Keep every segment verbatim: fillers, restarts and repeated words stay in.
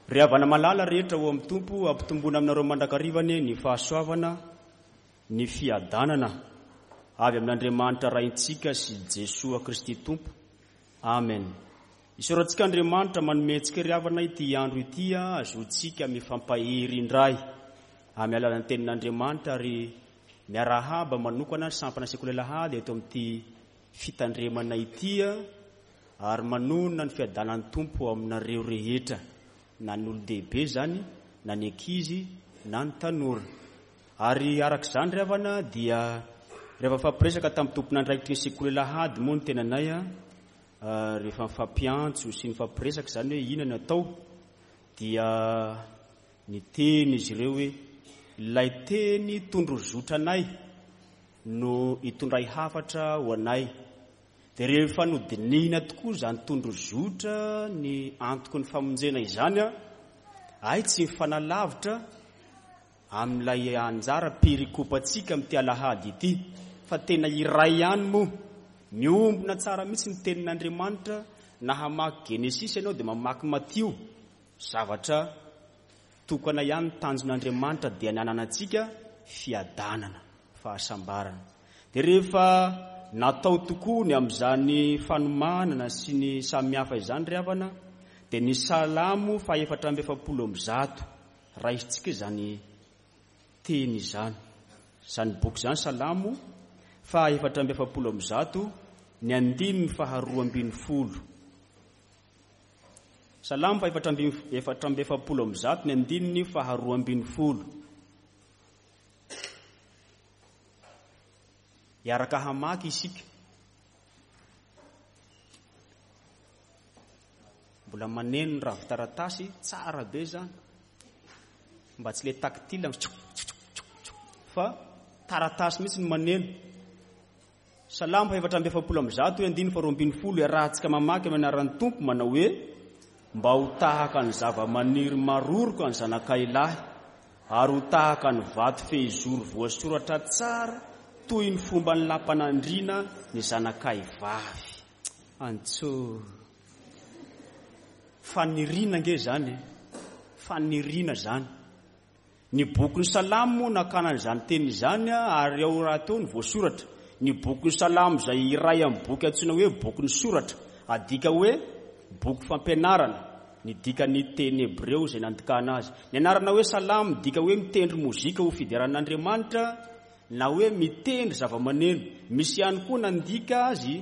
Ry havana malala rehetra ao amin'ny Tompo, ampitomboina aminareo mandrakariva anie ny fahasoavana, ny fiadanana avy amin'Andriamanitra Raintsika sy Jesoa Kristy Tompo. Amen. Isaorantsika Andriamanitra manome antsika ry havana ity andro ity, ahazoantsika mifampahery indray amin'ny alalan'ny tenin'Andriamanitra, ary miarahaba manokana ny sampana sekoly alahady eto amin'ity fitandremana ity, ary manonona ny fiadanan'ny Tompo aminareo rehetra, na ny olon-dehibe zany, na ny ankizy, na ny tanora. Ary araka izany ry havana dia rehefa mifampiresaka tamin'ny tompon'andraikitry ny sekoly alahady moa ny tenanay, rehefa mifampiantso sy nifampiresaka izany hoe inona no atao, dia niteny izy ireo hoe ilay teny tondrozotra anay no hitondray hafatra ho anay. Dia rehefa nodinihina tokoa izany tondrozotra ny antoky ny famonjena izany, ay tsy mifanalavitra amin'ilay anjara perikopantsika amin'ity alahady ity, fa tena iray ihany moa. Miombona tsara mihitsy ny tenin'Andriamanitra. Na hamaky Genesisy ianao dia mamaky Matio, zavatra tokana ihany ny tanjon'Andriamanitra dia ny hananantsika fiadanana, fahasambarana. Dia rehefa natao tokoa ny amin'izany fanomanana sy ny samihafa izany ry havana, dia ny Salamo fahaefatra amby efapolo amby zato, raisintsika izany teny izany, izany boky izany, Salamo fahaefatra amby efapolo amby zato, ny andininy faharoa ambin'ny folo. Salamo fahaefatra amby efatra amby efapolo amby zato, ny andininy faharoa ambin'ny folo. Hiaraka hamaky isika. Mbola maneno ny ravin-taratasy, tsara be zany. Mba tsy le tactile fa taratasy mihitsy ny maneno. Salamo fahaefatra amby efapolo amby zato, andininy faharoa ambin'ny folo, iarahantsika mamaky amin'ny anaran'ny Tompo manao hoe: mba ho tahaka ny zava-maniry maroroka ny zanakay lahy, ary ho tahaka ny vato fehizoro voasoratra tsara toy ny fomban'ny lapanandriana ny zanakay vavy. Antso faniriana nge zany, faniriana zany. Ny bokin'ny Salamo nakana an'izany teny izany, ary ao rahateo ny voasoratra. Ny bokin'ny Salamo izay iray amin'ny boky antsoina hoe bokin'ny soratra, adika hoe boky fampianarana, ny dikan'ny teny hebreo izay nandikana azy. Ny anarana hoe Salamo midika hoe mitendry mozika ho fideran'Andriamanitra, na hoe mitendry zava-maneno. Misy ihany koa nandika azy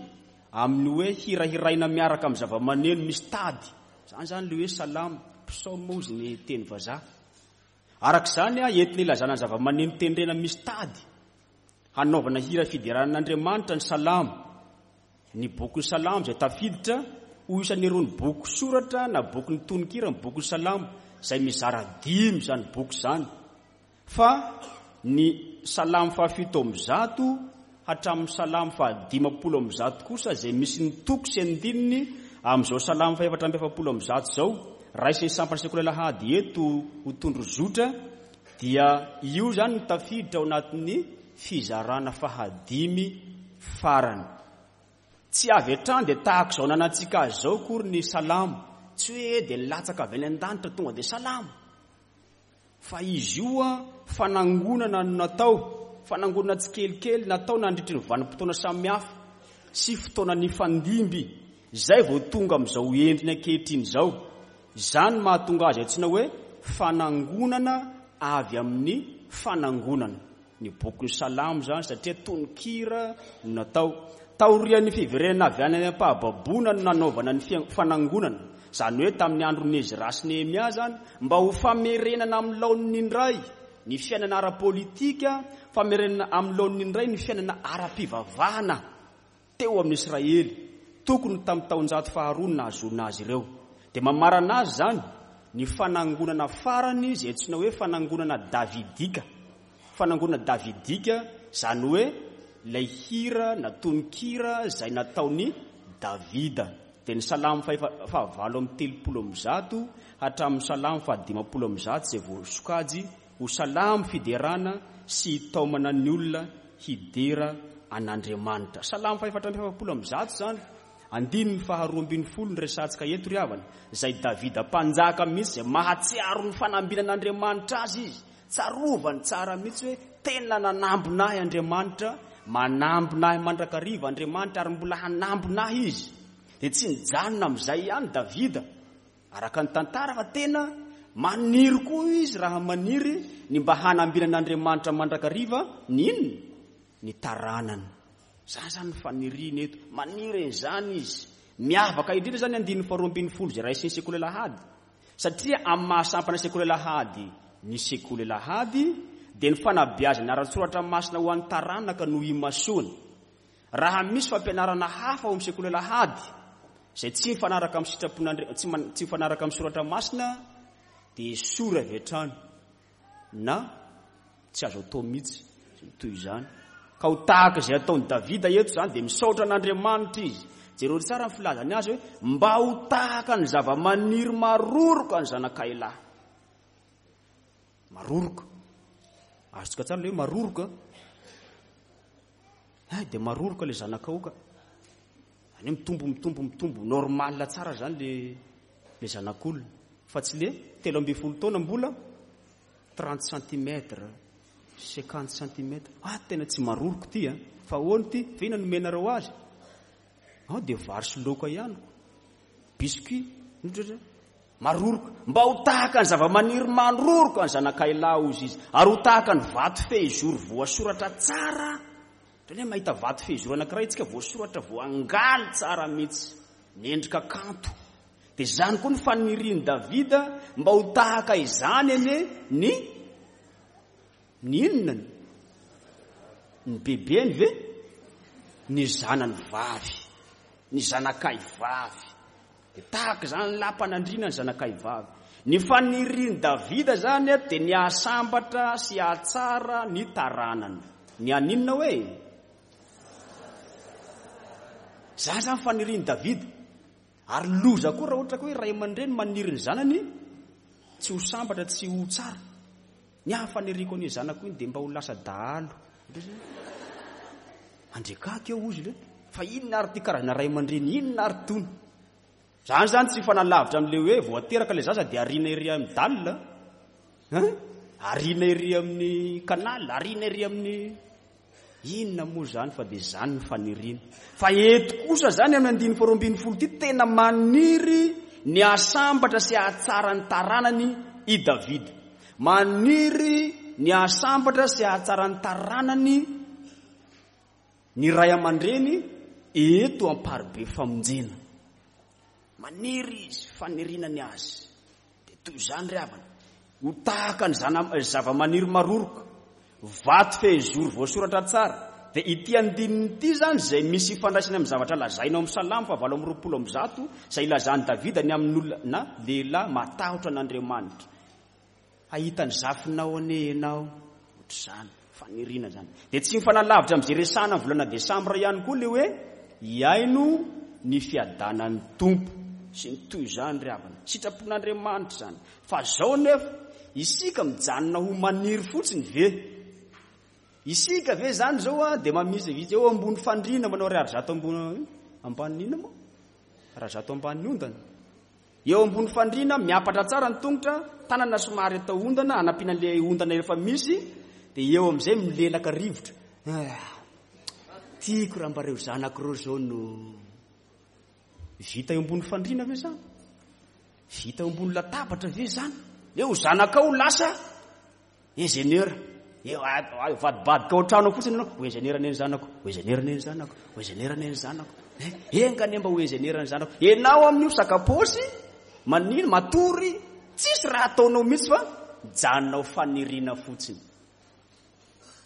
amin'ny hoe hirahiraina miaraka amin'ny zava-maneno misy tady. Izany zany le hoe Salamo, psaume ozy ny teny vazaha. Araka izany, entina ilazana ny zava-maneno tendrena misy tady hanaovana hira fideran'Andriamanitra ny Salamo. Ny bokin'ny Salamo izay tafiditra ho isan'irony boky soratra na bokin'ny tononkira ny bokin'ny Salamo, izay mizara dimy izany boky izany. Fa ny Salamo fahafito amby zato hatramin'ny Salamo fahadimampolo amby zato kosa, izay misy ny toko sy andininy amin'izao Salamo fahefatra amby efapolo amby zato izao, raisin'ny sampana sekoly alahady eto ho tondrozotra, dia io zany no tafiditra ao anatin'ny fizarana fahadimy farany. Tsy avy hatrany dia tahaka izao nanantsika azy izao akory ny Salamo. Tsy hoe dia nilatsaka avy any an-danitra tonga dia Salamo, fa izy io a fanangonana no natao, fanangonana tsikelikely natao nandritry ny vanim-potoana samihafa sy fotoana nifandimby, izay vao tonga amin'izao endriny ankehitriny izao. Izany mahatonga azy antsoina hoe fanangonana avy amin'ny fanangonana. Ny bokin'ny Salamo izany, satria tononkira no natao. Taorian'ny fiverenana avy any am-pahababoana no nanaovana ny fanangonana, izany hoe tamin'ny andron'i Ezra sy Nehemia zany, mba ho famerenana amin'ny laoniny indray ny fiainana ara-politika, famerenana amin'ny laoniny indray ny fiainana ara-pivavahana teo amin'ny Israely, tokony tamin'ny taonjato faharoa no nahazoana azy ireo. Dia mamarana azy zany ny fanangonana farany izay antsoina hoe fanangonana davidika. Fanangonana davidika, izany hoe ilay hira na tononkira izay nataon'i Davida. Dia ny Salamo fahavalo amby telopolo amby zato hatramin'ny Salamo fahadimampolo amby zato izay voasokajy ho salamo fiderana sy hitaomana ny olona hidera an'Andriamanitra. Salamo fahefatra amby efapolo amby zato zany, Andininy faharoa ambin'ny folo ny resahantsika eto ry havana, izay Davida mpanjaka mihitsy izay mahatsiaro ny fanambinan'Andriamanitra azy izy. Tsarovany tsara mihitsy hoe tena nanambina ahy Andriamanitra, manambina ahy mandrakariva Andriamanitra ary mbola hanambina ahy izy. Dia tsy nijanona amin'izay ihany Davida, araka ny tantara, fa tena maniry koa izy raha maniry ny mba hanambinan'Andriamanitra mandrakariva ny inona? Ny taranany. Izany izany ny faniriany eto, maniry an'izany izy. Miavaka indrindra izany andininy faharoa ambin'ny folo izay raisin'ny sekoly alahady, satria amin'ny maha sampana sekoly alahady ny sekoly alahady dia ny fanabeazana ara-tsoratra masina ho an'ny taranaka no imasoany. Raha misy fampianarana hafa ao amin'ny sekoly alahady izay tsy mifanaraka amin'ny sitrapon'Andri-, tsy man-, tsy mifanaraka amin'ny soratra masina, dia esory avy hatrany na tsy azo atao mihitsy toy izany. Ka ho tahaka izay ataon'i Davida eto izany dia misaotra an'Andriamanitra izy. Jereo tsara ny filazany azy hoe mba ho tahaka ny zava-maniry maroroka ny zanakay lahy. Maroroka. Azontsika tsara ilay hoe maroroka. Ay, dia maroroka ilay zanakao ka. Any mitombo, mitombo, mitombo. Normal tsara zany le, le zanak'olona. Fa tsy le telo ambin'ny folo taona mbola trente centimètres, cinquante centimètres. Ah, tena tsy maroroka ty, ah. Fa ahoana ty? Fa inona no omenareo azy? Ah, dia vary sy laoka ihany. Biscuit, ohatra. Maroroka. Mba ho tahaka ny zava-maniry maroroka ny zanakay lahy hozy izy. Ary ho tahaka ny vato fehizoro voasoratra tsara. Ohatran'ny hoe mahita vato fehizoro anankiray isika voasoratra, voangaly tsara mihitsy. Miendrika kanto. Dia izany koa ny fanirian'i Davida mba ho tahaka izany anie ny, ny inona? Ny bebeny ve? Ny zanany vavy, ny zanakay vavy. Dia tahaka izany lapan'andriana ny zanakay vavy. Ny fanirian'i Davida zany dia ny hahasambatra sy hahatsara ny taranany. Ny haninona hoe? Zany zany fanirian'i Davida. Ary loza koa raha ohatra ka hoe ray aman-dreny maniry ny zanany tsy ho sambatra, tsy ho tsara. Ny ahy faniriako ny zanako iny dia mba ho lasa dahalo. Andriakako eo ozy le. Fa inona ary ty karazana ray aman-dreny, inona ary tony? Zany zany tsy fanalavitra amin'ilay hoe voateraka ilay zaza dia ariana ery amin'ny dalle, hein? Ariana ery amin'ny canal, ariana ery amin'ny inona moa zany, fa dia zany ny faniriana. Fa eto kosa zany amin'ny andininy faharoa ambin'ny folo ity tena maniry ny hahasambatra sy hahatsara ny taranany i Davida. Maniry ny hahasambatra sy hahatsara ny taranany ny ray aman-dreny eto Amparibe Famonjena. Maniry izy, faniriana ny azy. Dia toy izany ry havana, ho tahaka ny zana-, zava-maniry maroroka, vato fehizoro voasoratra tsara. Dia ity andininy ity zany izay misy ifandraisany amin'ny zavatra lazaina ao amin'ny Salamo fahavalo amby roapolo amby zato, izay ilazan'i Davida ny amin'olona na lehilahy matahotra an'Andriamanitra. Hahita ny zafinao anie ianao, ohatr'izany, faniriana zany. Dia tsy mifanalavitra amin'izay resahana amin'ny volana desambra ihany koa ilay hoe hiaino ny fiadanan'ny Tompo sy ny toy izany ry havana. Sitrapon'Andriamanitra izany. Fa zao nefa, isika mijanona ho maniry fotsiny ve? Isika ve zany zao a, dia mamisy eo ambony fandriana manao ariary zato ambony ambany inona moa? Ariary zato ambany ondana. Eo ambony fandriana miampatra tsara ny tongotra, tanana somary atao ondana, anampiana an'ilay ondana efa misy, dia eo amin'izay milelaka rivotra. Ah, tiako raha mba reo zanako reo zao no vita eo ambony fandriana ve zany? Vita eo ambony latabatra ve zany? Eo zanakao lasa ingénieur. Eo, a, a, vadibadika ao an-trano fotsiny ianao, ho ingénieur anie ny zanako, ho ingénieur anie ny zanako, ho ingénieur anie ny zanako. Eh, enga anie mba ho ingénieur ny zanako. Ianao amin'io sakaposy, manino, matory, tsisy raha ataonao mihitsy fa mijanona ho faniriana fotsiny.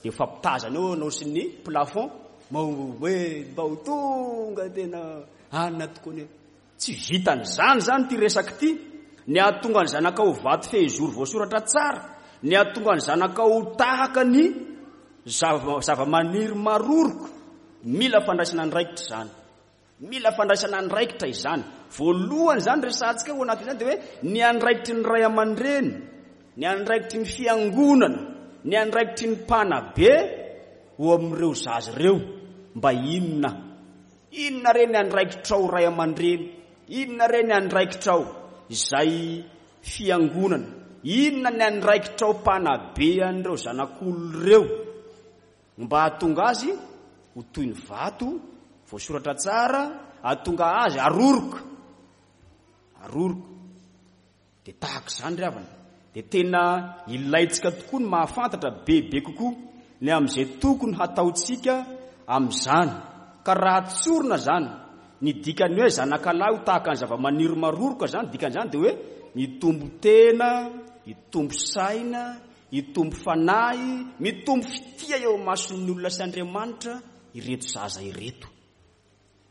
Dia mifampitazana eo ianao sy ny plafond, mba ho, hoe mba ho tonga tena anina tokoa anie. Tsy vitan'izany zany ity resaka ity. Ny hahatonga ny zanakao ho vato fehizoro voasoratra tsara, ny hahatonga ny zanakao ho tahaka ny zava-, zava-maniry maroroka. Mila fandraisana andraikitra izany. Mila fandraisana andraikitra izany. Voalohany izany resahantsika ao anatin'izany dia hoe ny andraikitry ny ray aman-dreny, ny andraikitry ny fiangonana, ny andraikitry ny mpanabe ho amin'ireo zaza ireo. Mba inona? Inona re ny andraikitrao ray aman-dreny? Inona re ny andraikitrao izay fiangonana? Inona ny andraikitrao mpanabe an'ireo zanak'olona ireo mba hahatonga azy ho toy ny vato voasoratra tsara, hahatonga azy aroroka, aroroka. Dia tahaka izany ry havana. Dia tena ilaintsika tokoa ny mahafantatra bebe kokoa ny amin'izay tokony hataontsika amin'izany. Ka raha tsorina izany, ny dikan'ny hoe zanakalahy ho tahaka ny zava-maniry maroroka izany, dikan'izany dia hoe mitombo tena, mitombo saina, mitombo fanahy, mitombo fitia eo mason'ny olona sy Andriamanitra ireto zaza ireto.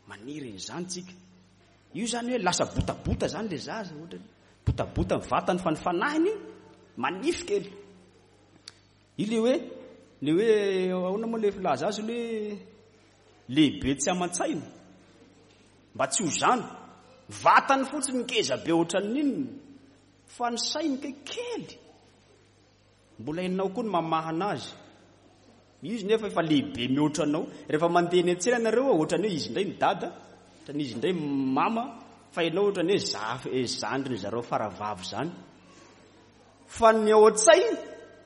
Maniry an'izany tsika. Io izany hoe lasa botabota izany ilay zaza, ohatrany botabota ny vatany fa ny fanahiny manify kely. Io le hoe, le hoe ahoana moa le filaza azy le lehibe tsy aman-tsaina, mba tsy ho zany, vatany fotsiny ngeza be ohatran'inona, fa ny sainy kay kely. Mbola hainao koa ny mamahana azy. Izy nefa efa lehibe mihoatra anao. Rehefa mandeha eny an-tsena nareo, ohatran'ny hoe izy indray ny dada, ohatran'ny izy indray mama, fa ianao ohatran'ny hoe zafy, zandriny zareo faravavy zany. Fa ny ao an-tsainy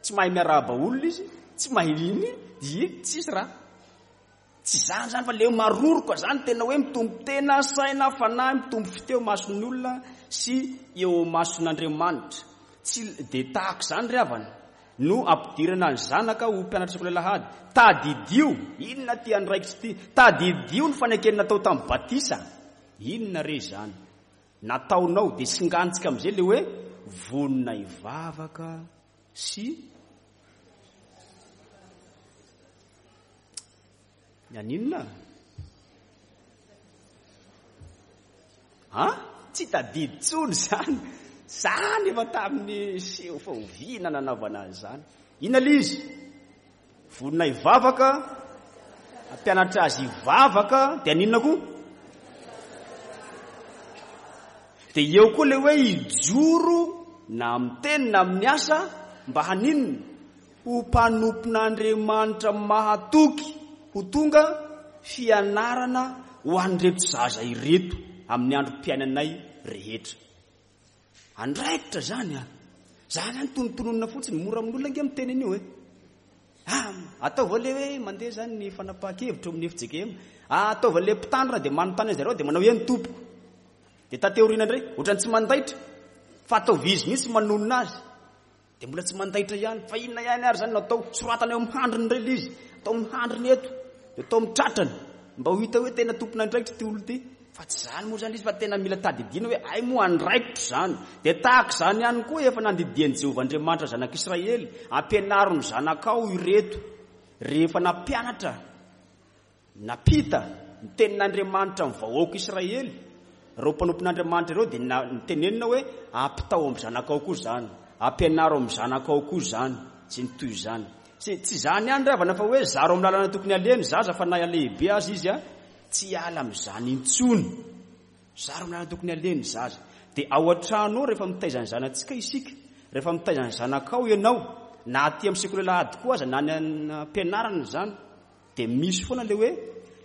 tsy mahay miarahaba olona izy, tsy mahay iny, dia tsisy raha. Tsy zany zany fa le maroroka zany tena hoe mitombo tena, saina, fanahy, mitombo fiteo mason'ny olona sy eo mason'Andriamanitra. Tsy dia tahaka izany ry havana no ampidirana ny zanaka ho mpianatra sekoly alahady. Tadidio, inona ty andraikitra ity? Tadidio ny fanekena natao tamin'ny batisa. Inona re izany nataonao? Dia singantsika amin'izay le hoe vonona hivavaka sy ny aninona? Ha? Tsy tadidy tsony izany. Zany efa tamin'ny seho fahoviana nanaovana an'izany. Inona le izy? Vonona hivavaka, hampianatra azy hivavaka, dia aninona koa? Dia eo koa le hoe hijoro na amin'ny teny na amin'ny asa mba haninona? Ho mpanompon'Andriamanitra mahatoky, ho tonga fianarana ho an'ireto zaza ireto amin'ny androm-piainanay rehetra. Andraikitra zany a. Zany zany tonontononina fotsiny, mora amin'olona ange miteny an'io e. Ah, ataovy le hoe mandeha zany ny fanapahan-kevitra amin'ny F J K M. Ah, ataovy le mpitandrina dia manontany an'i zareo dia manao eny tompoko. Dia taty aoriana indray, ohatran'ny tsy mandaitra, fa ataovy izy mihitsy manonona azy. Dia mbola tsy mandaitra ihany, fa inona ihany ary zany no atao? Soratana eo amin'ny handriny indray ilay izy, atao amin'ny handriny eto, dia atao amin'ny tratrany, mba ho hita hoe tena tompon'andraikitra ity olona ity. Fa tsy zany moa zany izy, fa tena mila tadidiana hoe ay moa andraikitra zany. Dia tahaka izany ihany koa efa nandidian'i Jehovah Andriamanitra zanak'Israely, ampianaro ny zanakao ireto. Rehefa nampianatra, nampita ny tenin'Andriamanitra amin'ny vahoaka Israely, ireo mpanompon'Andriamanitra ireo dia nitenenina hoe ampitao amin'ny zanakao koa zany, ampianaro amin'ny zanakao koa zany, sy ny toy izany. Tsy, tsy zany ihany ry havana fa hoe zaro amin'ny lalana tokony aleha ny zaza fa na lehibe azy izy a, tsy hiala amin'izany intsony. Zaro amin'ny lalana tokony aleha ny zaza. Dia ao an-trano ao rehefa mitaiza ny zanatsika isika, rehefa mitaiza ny zanakao ianao, na aty amin'ny sekoly alahady koa aza, na any am-pianarana izany, dia misy foana ilay hoe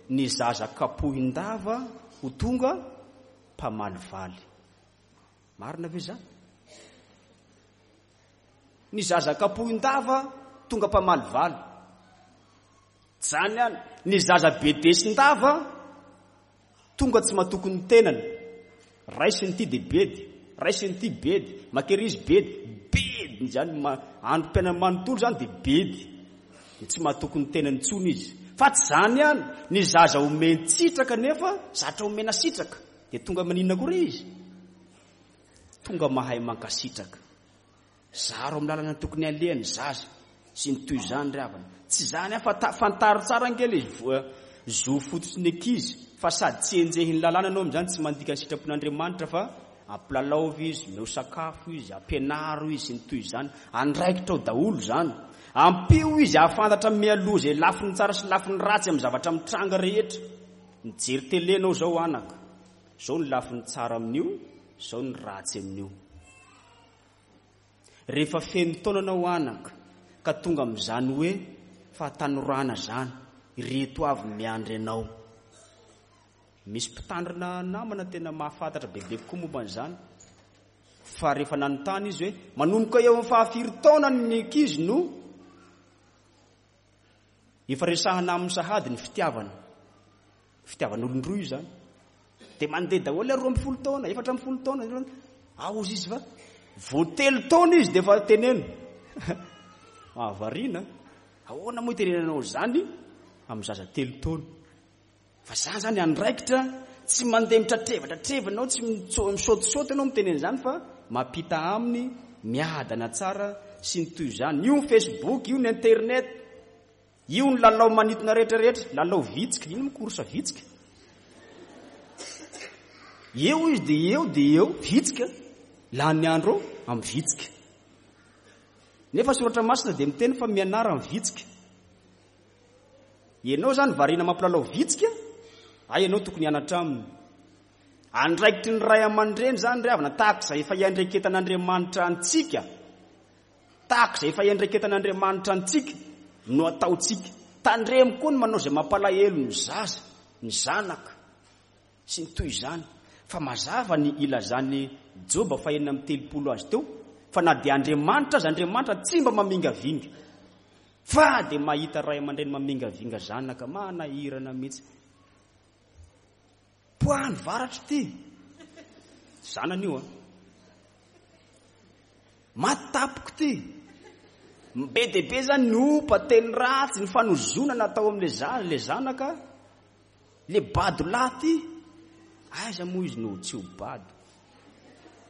ny zaza kapohin-dava ho tonga mpamalivaly. Marina ve izany? Ny zaza kapohin-dava tonga mpamalivaly. Zany ihany, ny zaza bedesin-dava tonga tsy matoky ny tenany. Raisiny ity dia bedy, raisiny ity bedy, makerizy bedy, bedy zany androm-piainana manontolo zany dia bedy. Dia tsy matoky ny tenany intsony izy. Fa tsy zany ihany, ny zaza omen-tsitraka nefa zatra omena sitraka, dia tonga maninona koa re izy? Tonga mahay mankasitraka. Zaro amin'ny lalana tokony aleha ny zaza sy ny toy izany ry havana. Tsy zany ihany fa ta-, fantaro tsara ange le vo-, zo fototry ny ankizy, fa sady tsy enjehin'ny lalàna ianao amin'izany, tsy mandika ny sitrapon'Andriamanitra fa ampilalaovy izy, omeo sakafo izy, ampianaro izy sy ny toy izany. Andraikitra ao daholo izany. Ampio izy hahafantatra mialoha izay lafiny tsara sy lafiny ratsy amin'ny zavatra mitranga rehetra. Mijery télé ianao izao anaka, izao ny lafiny tsara amin'io, izao ny ratsy amin'io. Rehefa feno taona anao anaka, ka tonga amin'izany hoe fahatanorana izany, ireto avy miandry anao. Misy mpitandrina namana tena mahafantatra bebe kokoa momba an'izany. Fa rehefa nanontany izy hoe manomboka eo amin'ny fahafiry taona ny ankizy no efa resahana amin'ny sahady ny fitiavana. Fitiavan'olon-droa io izany. Dia mandeha daholo roa ambin'ny folo taona, efatra ambin'ny folo taona. Ao izy izy fa vao telo taona izy dia efa teneno. Mahavariana. Ahoana moa itenenanao izany amin'ny zaza telo taona? Fa zany zany andraikitra, tsy mandeha mitratreva-tratreva ianao, tsy misaotisaoty ianao miteny an'izany fa mampita aminy, miadana tsara sy ny toy izany. Io ny Facebook, io ny internet, io ny lalao manintona rehetrarehetra, lalao vitsika, ino moa course vitsika? Eo izy dia eo dia eo, vitsika, lany andro amin'ny vitsika. Nefa soratra masina dia miteny fa mianara amin'ny vitsika. Ianao zany variana mampilalao vitsika, ay ianao tokony hianatra aminy. Andraikitry ny ray aman-dreny zany ry havana, tahaka izay efa iandraiketan'Andriamanitra antsika, tahaka izay efa iandraiketan'Andriamanitra antsika no ataontsika. Tandremo koa ny manao izay mampalahelo ny zaza, ny zanaka sy ny toy izany. Fa mazava ny ilazan'i Joba fahenina amby telopolo azy teo, fa na dia Andriamanitra aza, Andriamanitra tsy mba mamingavinga. Fa dia mahita ray aman-dreny mamingavinga zanaka, manahirana mihitsy. Poany varatra ity. Zanany io a. Matapoko ity. Be dia be zany ny ompa, teny ratsy, ny fanozonana atao amin'ilay za-, ilay zanaka. Le bado lahy ity. Aiza moa izy no tsy ho bado?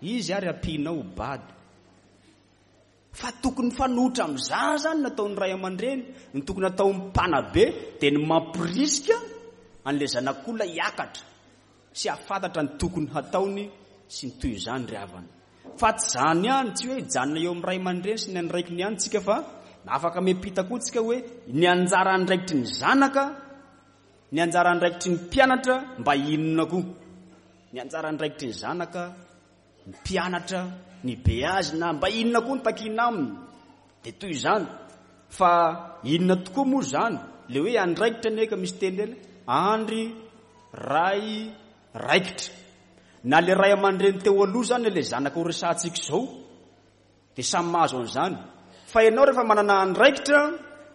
Izy ary ampianao ho bado. Fa tokony mifanohitra amin'izany zany nataon'ny ray aman-dreny, ny tokony atao mpanabe dia ny mampirisika an'ilay zanak'olona hiakatra sy hahafantatra ny tokony hataony sy ny toy izany ry havana. Fa tsy izany ihany, tsy hoe hijanona eo amin'ny ray aman-dreny sy ny andraikiny ihany tsika, fa afaka miampita koa tsika hoe ny anjara andraikitry ny zanaka, ny anjara andraikitry ny mpianatra mba inona koa. Ny anjara andraikitry ny zanaka, ny mpianatra, ny beazina, mba inona koa ny takiana aminy. Dia toy izany. Fa inona tokoa moa izany? Le hoe andraikitra anie ka misy teny ireny, andry, ray, raikitra. Na le ray aman-dreny teo aloha zany, le zanaka ho resahantsika izao, dia samy mahazo an'izany. Fa ianao rehefa manana andraikitra,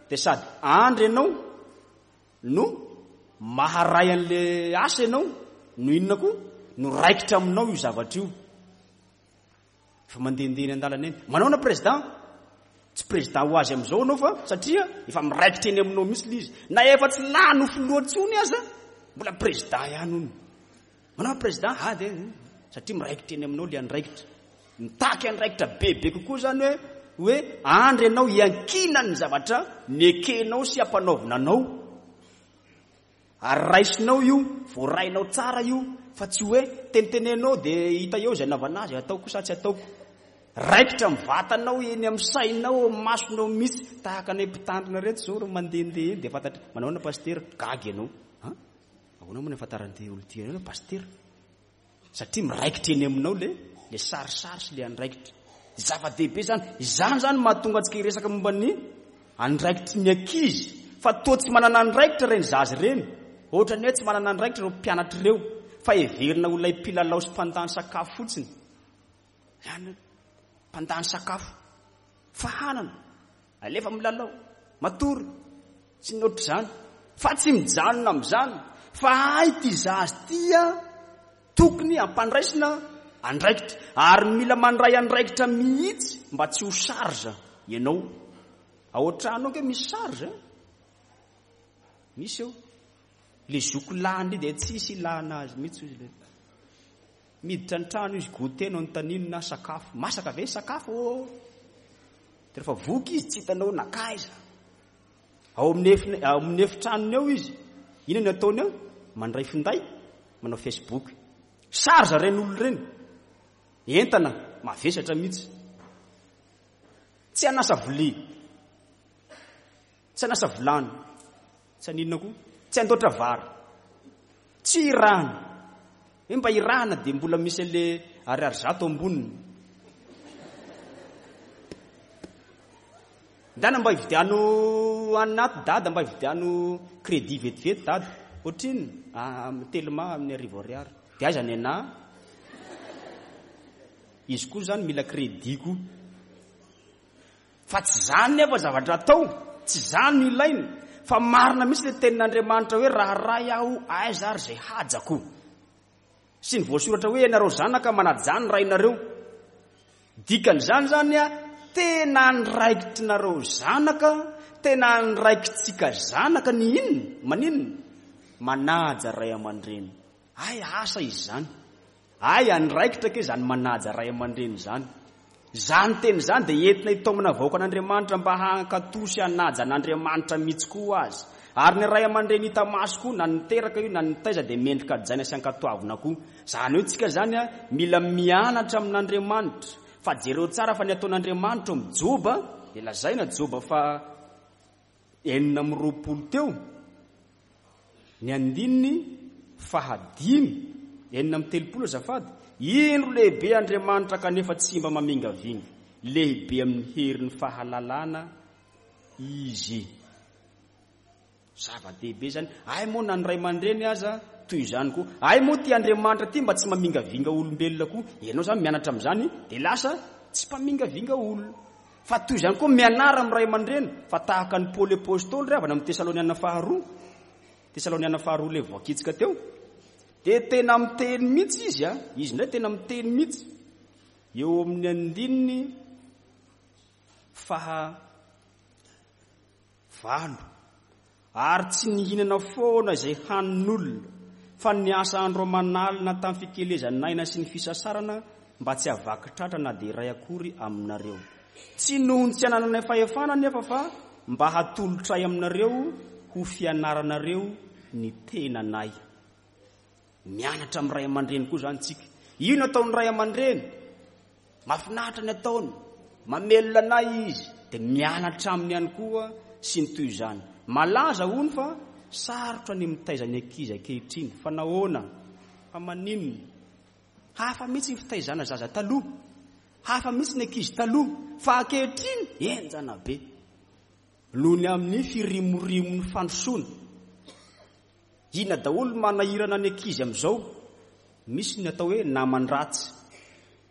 dia sady andry ianao no maharay an'le asa ianao, no inona koa? No raikitra aminao io zavatra io. Efa mandehandeha eny an-dalana eny. Manao na président? Tsy président ho azy amin'izao ianao fa satria efa miraikitra eny aminao mihitsy ilay izy. Na efa tsy lany ho filoha intsony aza, mbola président ihany hono. Manao président? Ah, dia satria miraikitra eny aminao ilay andraikitra. Mitaky andraikitra bebe kokoa zany hoe, hoe andry ianao hiankinan'ny zavatra nekenao sy ampanaovina anao. Ary raisinao io, voarainao tsara io, fa tsy hoe tenitenenao dia hita eo izay anaovana azy, ataoko sa tsy ataoko. Raikitra amin'ny vatanao, eny amin'ny sainao, amin'ny masonao mihitsy. Tahaka anay mpitandrina reto izao, reo mandehandeha eny dia fantatra, manao ahoana pasitera? Gaga ianao. Ha? Ahoana moa ny ahafantaran'ity olona ity anao pasitera? Satria miraikitra eny aminao le, le sarisary sy le andraikitra. Zava-dehibe zany. Izany zany mahatonga antsika hiresaka momba ny andraikitry ny ankizy. Fa toa tsy manana andraikitra ireny zaza ireny. Ohatran'ny hoe tsy manana andraikitra ireo mpianatra ireo. Fa heverina ho ilay mpilalao sy mpandany sakafo fotsiny. Zany hoe mpandany sakafo. Fahanana. Alefa milalao. Matory. Tsy ny ohatr'izany. Fa tsy mijanona amin'izany. Fa hay ity zaza ity a, tokony hampandraisina andraikitra. Ary mila mandray andraikitra mihitsy mba tsy ho charge ianao. Ao an-trano ao ke misy charge, eh? Misy eo. Le zoky lany dia tsisy ilana azy mihitsy izy le. Miditra ny trano izy, goûter no anontaniany na sakafo. Masaka ve sakafo? Dia rehefa voky izy tsy hitanao nakaiza. Ao amin'ny efin-, ao amin'ny efitranony ao izy. Inona no ataony ao? Mandray finday, manao Facebook. Charge ireny olona ireny. Entana mavesatra mihitsy. Tsy hanasa vilia. Tsy hanasa vilany. Tsy haninona koa. Tsy handoatra vary. Tsy hirahana. Hoe mba hirahana dia mbola misy an'le ariary zato amboniny. Ndana mba hividiano anaty dada, mba hividiano crédit vetivety dada. Ohatrinona? Ah, Telma amin'ny arivo ariary. Dia aiza ny anahy? Izy koa izany mila crédit koa. Fa tsy izany nefa zavatra atao, tsy izany no ilaina. Fa marina mihitsy ilay tenin'Andriamanitra hoe raha ray aho, aiza ary izay hajako. Sy ny voasoratra hoe ianareo zanaka manajà ny rainareo. Dikan'izany izany a, tena andraikitrinareo zanaka, tena andraikitsika zanaka ny inona? Maninona? Manaja ray aman-dreny. Ay, asa izany. Ay, andraikitra ke izany manaja ray aman-dreny izany. Izany teny izany dia entina hitaomana vahoakan'Andriamanitra mba hankatò sy hanaja an'Andriamanitra mihitsy koa azy. Ary ny ray aman-dreny hita maso koa, na niteraka io na nitaiza, dia mendrika hajaina sy ankatoavina koa. Izany hoe tsika izany a, mila mianatra amin'Andriamanitra. Fa jereo tsara fa ny ataon'Andriamanitra ao amin'ny Joba, dia lazaina Joba fa enina amby roapolo teo, ny andininy fahadimy, enina amby telopolo azafady, indro lehibe Andriamanitra kanefa tsy mba mamingavinga, lehibe amin'ny herin'ny fahalalana izy. Zava-dehibe izany. Ay moa na ny ray aman-dreny aza toy izany koa. Ay moa ty Andriamanitra ty mba tsy mamingavinga olombelona koa. Ianao izany mianatra amin'izany dia lasa tsy mpamingavinga olona. Fa toy izany koa mianara amin'ny ray aman-dreny, fa tahaka ny Paoly Apostoly ry havana amin'ny Tesaloniana faharoa. Tesaloniana faharoa ilay voakitsika teo. Dia tena miteny mihitsy izy a, izy indray tena miteny mihitsy. Eo amin'ny andininy faha valo. Ary tsy nihinana foana izay hanin'olona, fa niasa andro aman'alina tamin'ny fikelezan'aina sy ny fisasarana mba tsy havaky tratra na dia iray akory aminareo. Tsy noho ny tsy anananay fahefana nefa fa mba hatolotray aminareo ho fianaranareo ny tenanay. Mianatra amin'ny ray aman-dreny koa izany tsika. Io no ataon'ny ray aman-dreny. Mahafinaritra ny ataony, mamelona anay izy, dia mianatra aminy ihany koa sy ny toy izany. Malaza hono fa sarotra ny mitaiza ny ankizy ankehitriny. Fa nahoana? Fa maninona? Hafa mihitsy ny fitaizana zaza taloha. Hafa mihitsy ny ankizy taloha. Fa ankehitriny henjana be. Noho ny amin'ny firimorimon'ny fandrosoana. Inona daholo manahirana ny ankizy amin'izao? Misy ny atao hoe naman-dratsy.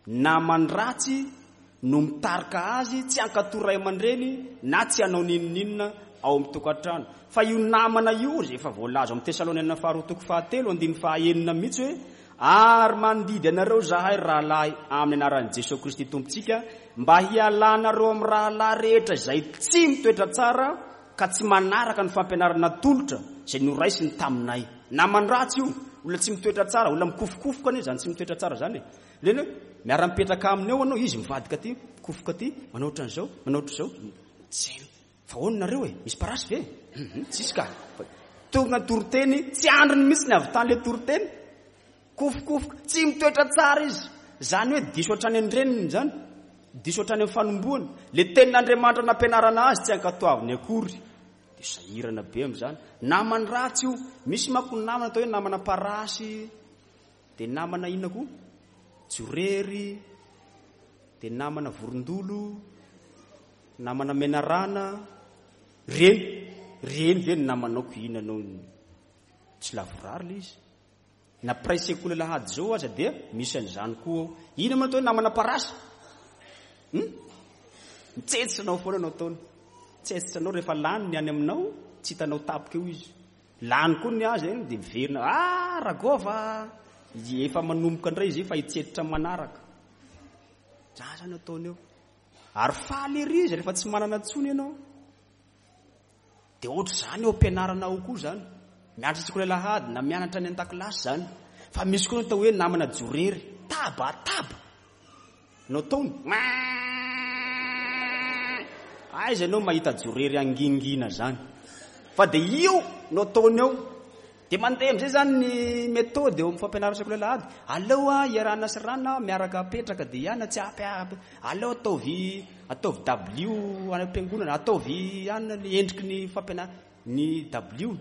Naman-dratsy no mitarika azy tsy hankatò ray aman-dreny na tsy hanao n'inon'inona ao amin'ny tokantrano. Fa io namana io izay efa voalaza ao amin'ny Tesaloniana faharoa toko fahatelo andininy fahaenina mihitsy hoe ary mandidy anareo zahay rahalahy amin'ny anaran'i Jesoa Kristy Tompontsika mba hialanareo amin'ny rahalahy rehetra izay tsy mitoetra tsara ka tsy manaraka ny fampianarana tolotra izay noraisiny taminay. Naman-dratsy io, olona tsy mitoetra tsara, olona mikofokofoka anie izany tsy mitoetra tsara izany e. Leny hoe miara-mipetraka aminy eo anao, izy mivadika aty, mikofoka aty, manao ohatran'izao, manao ohatr'izao. Tsy fa ahoana nareo e? Misy parasy ve? Tsisy ka. Tonga ny toriteny, tsy andriny mihitsy ny avy tany le toriteny. Kofokofoka, tsy mitoetra tsara izy. Izany hoe diso hatrany an-dreniny izany. Diso hatrany amin'ny fanombohana. Le tenin'Andriamanitra nampianarana azy tsy ankatoaviny akory. Dia sahirana be amin'izany. Namany ratsy io. Misy manko ny namana atao hoe namana parasy. Dia namana inona koa? Jorery. Dia namana vorondolo. Namana menarana. Reny. Reny ve ny namanao ko inona anao? Tsy lavorary ilay izy. Na mpiray sekoly alahady izao aza dia misy an'izany koa ao. Inona moa atao hoe namana parasy? Hmm? Mitsetsitra anao foana anao ataony. Mitsetsitra anao rehefa lany ny any aminao, tsy hitanao tapoka eo izy. Lany koa ny azy dia miverina. Ah, Ragova! Efa manomboka indray izy fa hitsetsitra manaraka. Zany zany ataony eo. Ary faly ery izy rehefa tsy manana intsony ianao. Dia ohatr'izany eo am-pianarana ao koa izany. Mianatra sekoly alahady na mianatra any an-dakilasy izany. Fa misy koa ny atao hoe namana jorery. Tabataba no ataony. Aiza ianao mahita jorery angingina izany? Fa dia io no ataony eo. Dia mandeha amin'izay izany ny méthode eo amin'ny fampianarana sekoly alahady. Aleo a iarahana sy rana miaraka apetraka dia ihany tsy ampy ampy. Aleo ataovy ataovy W any am-piangonana, ataovy ihany ny endriky ny fampianarana ny W.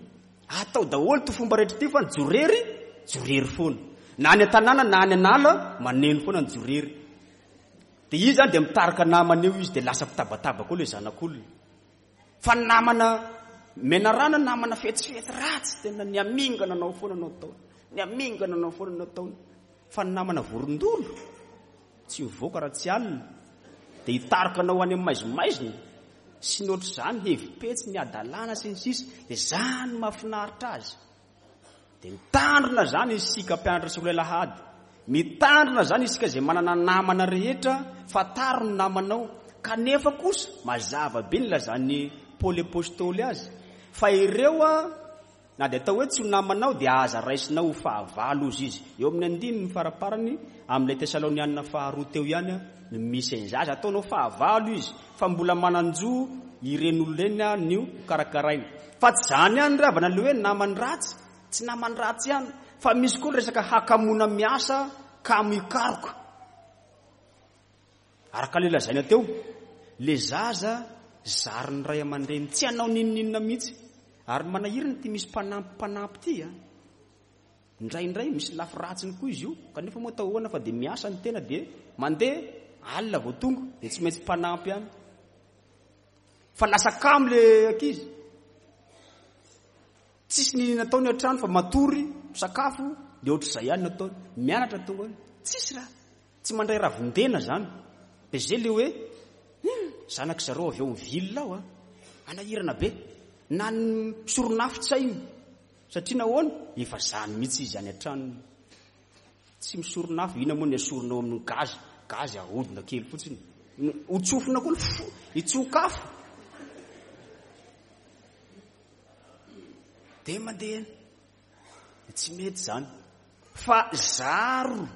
Atao daholo ty fomba rehetra ity fa ny jorery, jorery foana. Na any an-tanàna na any an'ala, maneno foana ny jorery. Dia izy zany dia mitarika namana eo izy dia lasa mpitabataba koa ilay zanak'olona. Fa ny namana Menarana namana fetsifetsy ratsy, tena ny amingana anao foana no ataony. Ny amingana anao foana no ataony. Fa ny namana vorondolo tsy mivoaka raha tsy alina, dia hitarika anao any amin'ny maizimaizina sy ny ohatr'izany, hevi-petsy, ny adalàna sy ny sisa, dia zany mahafinaritra azy. Dia mitandrina zany isika mpianatra sekoly alahady, mitandrina zany isika izay manana namana rehetra, fantaro ny namanao. Kanefa kosa mazava be ny lazan'ny Paoly Apostoly azy fa ireo a na dia atao hoe tsy ho namanao dia aza raisinao ho fahavalo ozy izy. Eo amin'ny andininy faraparany amin'ilay Tesalonianina faharoa teo ihany no misy an'izay. Aza ataonao fahavalo izy fa mbola manan-jo ireny olona ireny no karakaraina. Fa tsy zany ihany ry havana le hoe namany ratsy, tsy namany ratsy ihany, fa misy koa ny resaka hakamona miasa kamo hikaroka. Araka le lazaina teo, le zaza zarin'ny ray aman-dreny tsy hanao n'inon'inona mihitsy. Ary manahirana ity misy mpanampy mpanampy ity a. Indraindray misy lafy ratsiny koa izy io, kanefa moa atao ahoana fa dia miasa ny tena dia mandeha alina vao tonga dia tsy maintsy mpanampy ihany. Fa lasa kamo le ankizy. Tsisy n'inona ataony an-trano fa matory, misakafo, dia ohatr'izay ihany no ataony. Mianatra tonga any. Tsisy raha. Tsy mandray ravin-dena zany. Dia zay le hoe zanak'i zareo avy ao amin'ny ville ao a. Anahirana be. Na ny soronafo tsy hainy. Satria nahoana? Efa zany mihitsy izy any an-tranony. Tsy misoronafo, inona moa ny asorina ao amin'ny gazy? Gazy ahodina kely fotsiny. Hotsofina koa ny fo, hitsokafo. Dia mandeha. Tsy mety zany. Fa zaro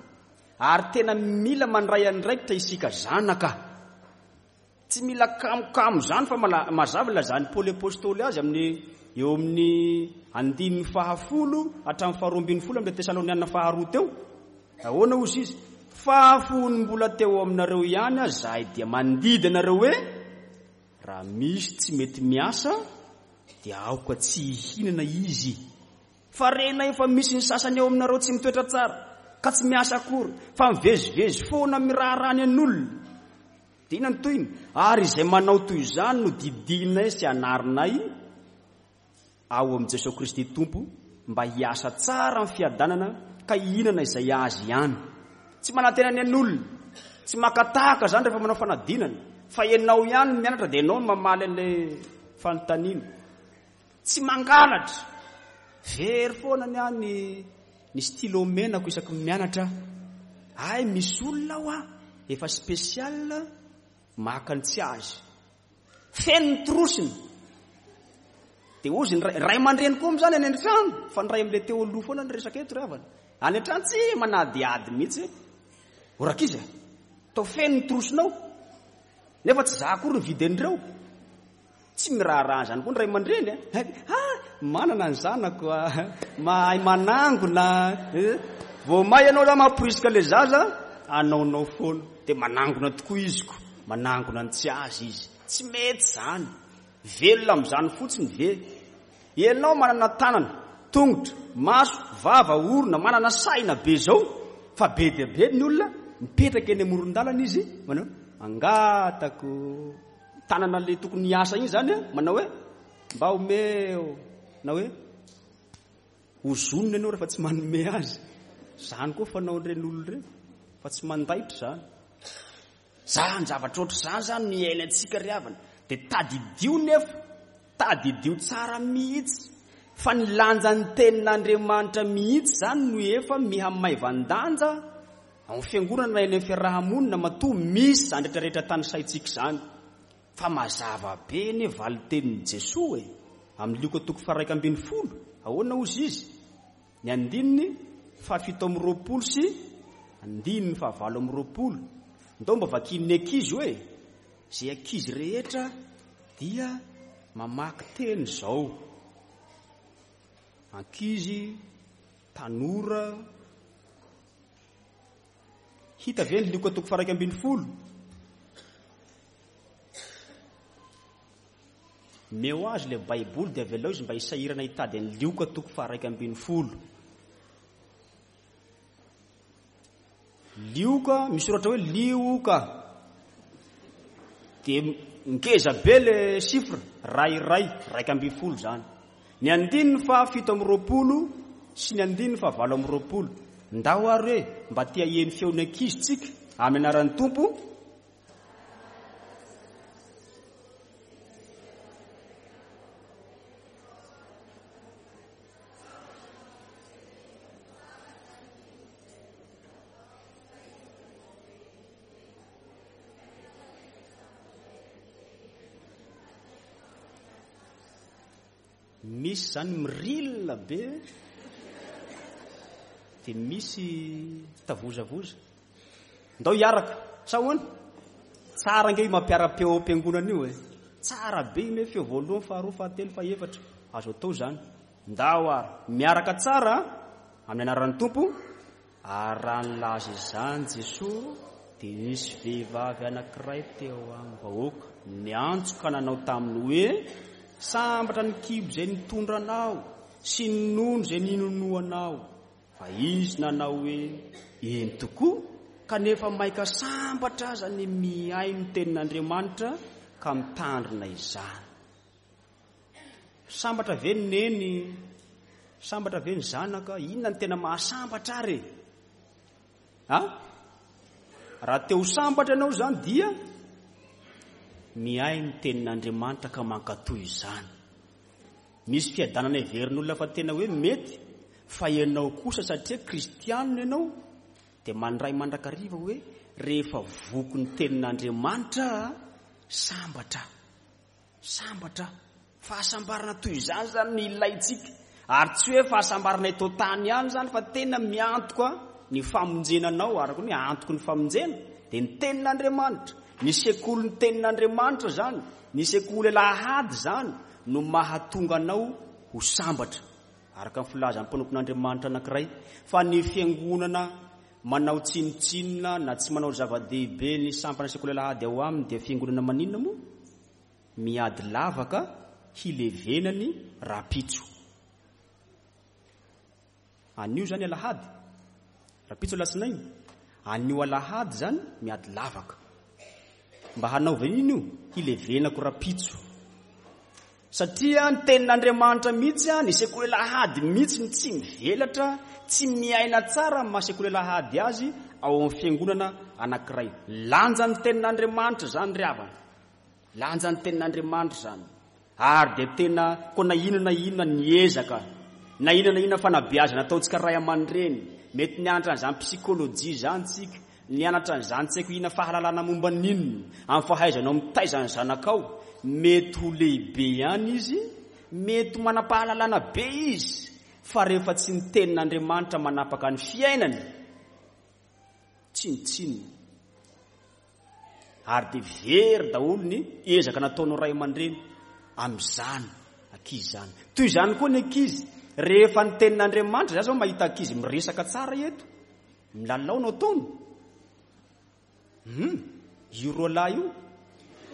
ary tena mila mandray andraikitra isika zanaka. Tsy mila kamokamo zany fa mala-, mazava lazan'ny Paoly Apostoly azy amin'ny eo amin'ny andininy fahafolo hatramin'ny faharoa ambin'ny folo amin'ny Tesalonianina faharoa teo. Ahoana hozy izy? Fa fony mbola teo aminareo ihany aza zahay dia mandidy anareo hoe raha misy tsy mety miasa dia aoka tsy hihinana izy. Fa rena efa misy ny sasany eo aminareo tsy mitoetra tsara ka tsy miasa akory fa mivezivezy foana miraharaha ny an'olona. Dia inona ny tohiny? Ary izay manao toy izany no didinay sy anarinay ao amin'i Jesoa Kristy Tompo mba hiasa tsara amin'ny fiadanana ka hihinana izay azy ihany. Tsy manantena ny an'olona, tsy maka tahaka zany rehefa manao fanadinana, fa ianao ihany no mianatra dia ianao no mamaly an'ilay fanontaniana. Tsy mangalatra. Very foana ny ahy ny, ny stylo menako isaky ny mianatra. Ay, misy olona ao aho efa spécial maka ny tsy azy. Feno ny trosiny. Dia hozy ny ray, ray aman-dreny koa amin'izany any an-trano, fa ny ray amin'ilay teo aloha foana ny resaka eto ry havana. Any an-trano tsy manadihady mihitsy. O rankizy, atao feno ny trosinao. Nefa tsy za akory ny vidin'ireo. Tsy miraharaha an'izany koa ny ray aman-dreny a. Ah, manana ny zanako a, mahay manangona. Vao may ianao raha mamporisika ilay zaza, anaonao foana. Dia manangona tokoa izy ko, manangona ny tsy azy izy. Tsy mety izany. Velona amin'izany fotsiny ve? Ianao manana tanana, tongotra, maso, vava, orona, manana saina be zao, fa be dia be ny olona mipetraka eny amoron-dalana izy, manao angatako. Tanana le tokony hiasa iny zany a, manao hoe mba omeo, na hoe hozonina ianao rehefa tsy manome azy. Zany koa fanaon'ireny olona ireny, fa tsy mandaitra zany. Zany zavatra ohatr'izany zany no iainantsika ry havana. Dia tadidio nefa, tadidio tsara mihitsy fa ny lanjan'ny tenin'Andriamanitra mihitsy zany no efa mihamaivan-danja ao amin'ny fiangonana na eny amin'ny fiarahamonina, matoa misy zany rehetrarehetra tanisaintsika izany. Fa mazava be ny valin-tenin'i Jesoa e. Amin'ny Lioka toko faha-iraika ambin'ny folo, ahoana hozy izy? Ny andininy fahafito amby roapolo sy andininy fahavalo amby roapolo. Ndao mba vakin'ny ankizy hoe izay ankizy rehetra dia mamaky teny izao. Ankizy, tanora. Hita ve ny Lioka toko faha-iraika ambin'ny folo? Meo azy ilay Baiboly dia avelao izy mba hisahirana hitady an'i Lioka toko faha-iraika ambin'ny folo. Lioka, misoratra hoe Lioka. Dia ngeza be le chiffre, ray iray, iraika ambin'ny folo izany. Ny andininy fahafito amby roapolo sy ny andininy fahavalo amby roapolo. Ndao ary hoe mba te haheno feon'ny ankizy tsika amin'ny anaran'ny Tompo. Misy zany mirilina be, dia misy tavozavoza. Ndao hiaraka, sa ahoana? Tsara ange io mampiara-peo ao am-piangonana io e. Tsara be io feo voalohany, faharoa, fahatelo, fahefatra. Azo atao zany. Ndao ary miaraka tsara amin'ny anaran'ny Tompo. Ary raha nilaza izany Jesoa, dia nisy vehivavy anankiray teo amin'ny vahoaka niantso ka nanao taminy hoe: sambatra ny kibo izay nitondra anao sy ny nono izay ninonoanao. Fa izy nanao hoe: eny tokoa, kanefa maika sambatra aza ny mihaino ny tenin'Andriamanitra ka mitandrina izany. Sambatra ve ny neny? Sambatra ve ny zanaka? Inona ny tena mahasambatra ary? Ha? Raha te ho sambatra ianao izany dia mihaino ny tenin'Andriamanitra ka mankatò izany. Misy fiadanana heverin'olona fa tena hoe mety, fa ianao kosa satria kristianina ianao dia mandray mandrakariva hoe rehefa voky ny tenin'Andriamanitra sambatra, sambatra. Fahasambarana toy izany zany ny ilaintsika. Ary tsy hoe fahasambarana eto an-tany ihany zany, fa tena miantoka ny famonjena anao. Araka ny hoe antoky ny famonjena dia ny tenin'Andriamanitra. Ny sekoly ny tenin'Andriamanitra zany, ny sekoly alahady zany no mahatonga anao ho sambatra, araka ny filazan'ny mpanompon'Andriamanitra anankiray. Fa ny fiangonana manao tsinontsinona na tsy manao zava-dehibe ny sampana sekoly alahady ao aminy dia fiangonana maninona moa? Miady lavaka hilevenany rapitso. Anio zany alahady, rapitso alatsinainy. Anio alahady zany miady lavaka. Mba hanaovana ino io? Hilevenako rapitso. Satria ny tenin'Andriamanitra mihitsy, ny sekoly alahady mihitsy ny tsy mivelatra, tsy miaina tsara amin'ny maha sekoly alahady azy ao amin'ny fiangonana anankiray. Lanja ny tenin'Andriamanitra zany ry havana. Lanja ny tenin'Andriamanitra zany. Ary dia tena koa na inona na inona ny ezaka, na inona na inona fanabeazana ataontsika ray aman-dreny, mety nianatra an'izany psikolojia izany tsika, nianatra an'izany tsy haiko inona fahalalana momba n'inona, amin'ny fahaizanao mitaiza ny zanakao, mety ho lehibe ihany izy, mety ho manam-pahalalana be izy, fa rehefa tsy ny tenin'Andriamanitra manapaka ny fiainany, tsinontsinona. Ary dia very daholo ny ezaka nataonao ray aman-dreny amin'izany ankizy izany. Toy izany koa ny ankizy, rehefa ny tenin'Andriamanitra, za zao mahita ankizy miresaka tsara eto, milalao no ataony. Hmm, io roalahy io,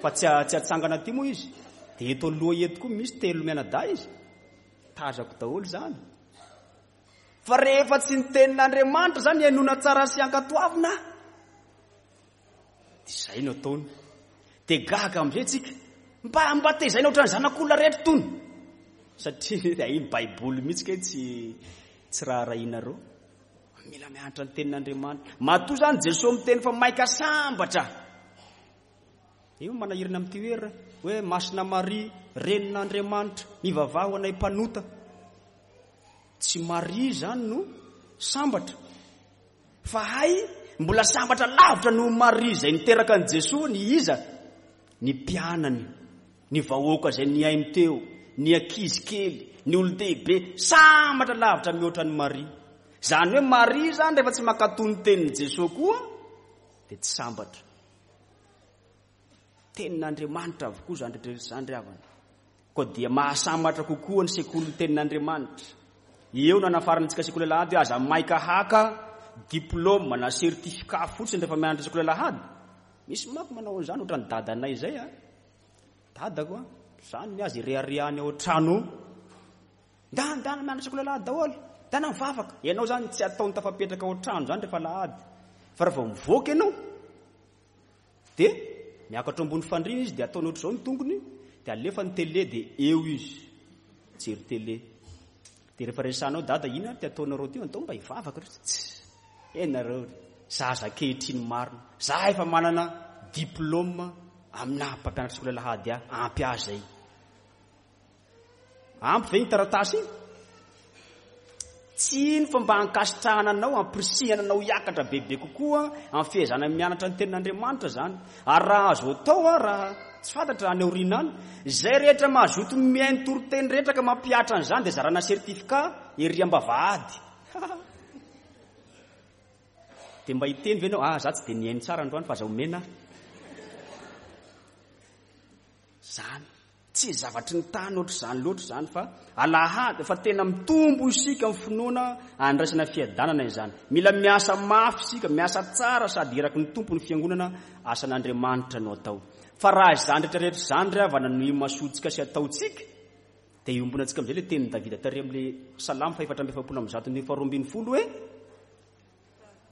fa tsy tsy atsangana aty moa izy. Dia eto aloha eto koa misy telo mianadahy izy. Tazako daholo izany. Fa rehefa tsy ny tenin'Andriamanitra zany hainoana tsara sy ankatoavina, dia izay no ataony. Dia gaga amin'izay tsika, mba mba tezaina ohatran'ny zanak'olona rehetra tony. Satria iny Baiboly mihitsy kay tsy tsy raharahianareo. Mila mianatra ny tenin'Andriamanitra. Matoa zany Jesoa miteny fa maika sambatra. Io manahirana amin'ity hoe hoe Masina Maria, renin'Andriamanitra, mivavaha ho anay mpanota. Tsy Maria zany no sambatra. Fa hay mbola sambatra lavitra noho Maria izay niteraka an'i Jesoa ny iza? Ny mpianany, ny vahoaka izay nihaino teo, ny ankizy kely, ny olon-dehibe, sambatra lavitra mihoatra an'i Maria. Zany hoe Maria zany rehefa tsy mankatò ny tenin'i Jesoa koa dia tsy sambatra. Tenin'Andriamanitra avokoa zany rehetra zany ry havana. Koa dia mahasambatra kokoa ny sekolin'ny tenin'Andriamanitra. Eo no anafarantsika sekoly alahady hoe aza maika haka diplôme na certificat fotsiny rehefa mianatra sekoly alahady. Misy manko manao an'izany ohatran'ny dadanay izay a. Dadako a, zany ny azy ireharehany ao an-trano. Ndana ndana mianatra sekoly alahady daholo. Ndana mivavaka. Ianao zany tsy ataony tafapetraka ao an-trano zany rehefa alahady. Fa rehefa mivoaka ianao dia Miakatra ambony fandriana izy dia ataony ohatr'izao ny tongony, dia alefa ny télé dia eo izy mijery télé. Dia rehefa resahanao, dada, inona ty ataonareo ty? Atao mba hivavaka. Tsy enareo zaza ankehitriny marina. Za efa manana diplôme amina mpampianatra sekoly alahady ahy, ampy ahy zay. Ampy ve ny taratasy iny? Tsy iny fa mba ankasitrahana anao, ampirisihana anao hiakatra bebe kokoa amin'ny fihezana mianatra ny tenin'Andriamanitra zany. Ary raha azo atao, a raha tsy fantatra any aoriana any, izay rehetra mahazoto mihaino toriteny rehetra ka mampihatra an'izany dia zarana certificat ery am-bavahady. Dia mba hiteny ve anao, ah, za tsy dia nihaino tsara androany fa aza omena zany? Tsy zavatry ny tany ohatr'izany loatra izany, fa alahady fa tena mitombo isika amin'ny finoana, andraisana fiadanana izany. Mila miasa mafy isika, miasa tsara sady iraky ny Tompo ny fiangonana, asan'Andriamanitra no atao. Fa raha izany rehetrarehetra izany ry havana no imasoantsika sy ataontsika, dia iombonantsika amin'izay ilay tenin'i Davida tary amin'ilay salamo fahefatra amby efapolo amby zato andininy faharoa ambin'ny folo hoe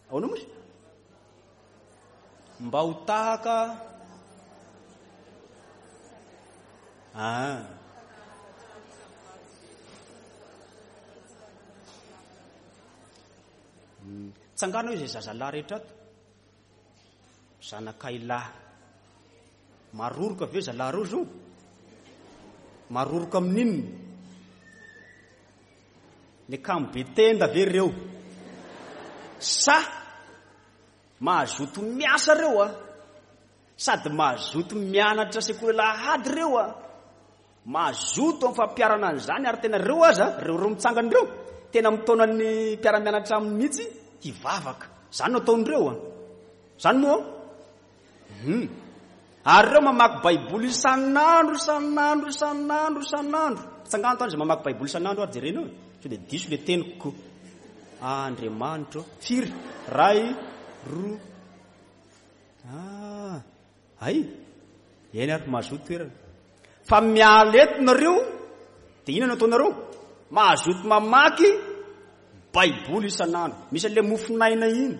ahoana moa izy? Mba ho tahaka ah. Tsangano izay zazalahy rehetra ato. Zanakay lahy. Maroroka ve zalahy reo zao? Maroroka amin'inona? Ny kamo be tenda ve reo? Sa mahazoto miasa reo a? Sady mahazoto mianatra sekoly alahady reo a? Mahazoto amin'ny fampiharana an'izany, ary tena reo aza, reo reo mitsangana reo, tena mitaona ny mpiara-mianatra aminy mihitsy hivavaka. Zany no ataon'ireo a. Zany moa? Hmm. Ary reo mamaky Baiboly isan'andro, isan'andro, isan'andro, isan'andro. Tsangano tany izay mamaky Baiboly isan'andro ary jerena eo. Sao dia diso le teniko. Andriamanitro. Firy? Ray, roa. Ah, ay. Eny ary mahazoto toerana. Fa miala eto nareo, dia inona no ataonareo? Mahazoto mamaky Baiboly isan'andro. Misy an'ilay mofonaina iny.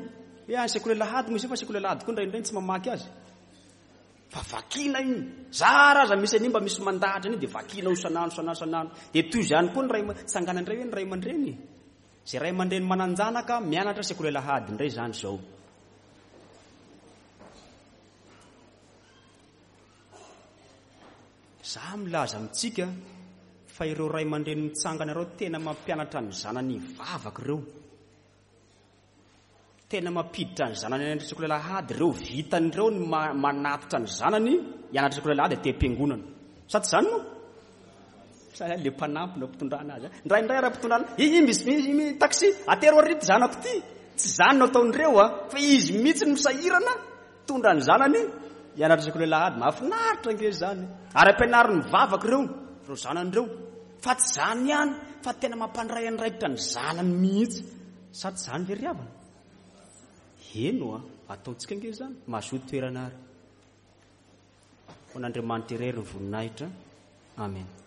Hoe any sekoly alahady moa izy io, fa sekoly alahady koa indraindray tsy mamaky azy. Fa vakina iny. Zara aza misy an'iny mba misy mandahatra an'iny dia vakina io isan'andro, isan'andro, isan'andro. Dia toy izany koa ny ray aman-, tsangana indray hoe ny ray aman-dreny. Izay ray aman-dreny manan-janaka mianatra sekoly alahady indray izany izao. Za milaza amintsika fa ireo ray aman-dreny mitsangana ireo tena mampianatra ny zanany hivavaka ireo. Tena mampiditra ny zanany any sekoly alahady ireo, vitan'ireo ny ma-, manatitra ny zanany hianatra sekoly alahady aty am-piangonana. Sa tsy izany moa? Sa le mpanampy no ampitondrana azy. Indraindray raha ampitondrana, i, i, misy, misy, misy taxi, atero ary ity zanako ity. Tsy izany no ataon'ireo a, fa izy mihitsy no misahirana mitondra ny zanany hianatra sekoly alahady. Mahafinaritra ange izany. Ary ampianariny mivavaka ireo, ireo zanany ireo. Fa tsy izany ihany, fa tena mampandray andraikitra ny zanany mihitsy. Sa tsy izany ve ry havana? Heno a, ataontsika ange izany, mahazoto toerana ary. Ho an'Andriamanitra irery ny voninahitra. Amen.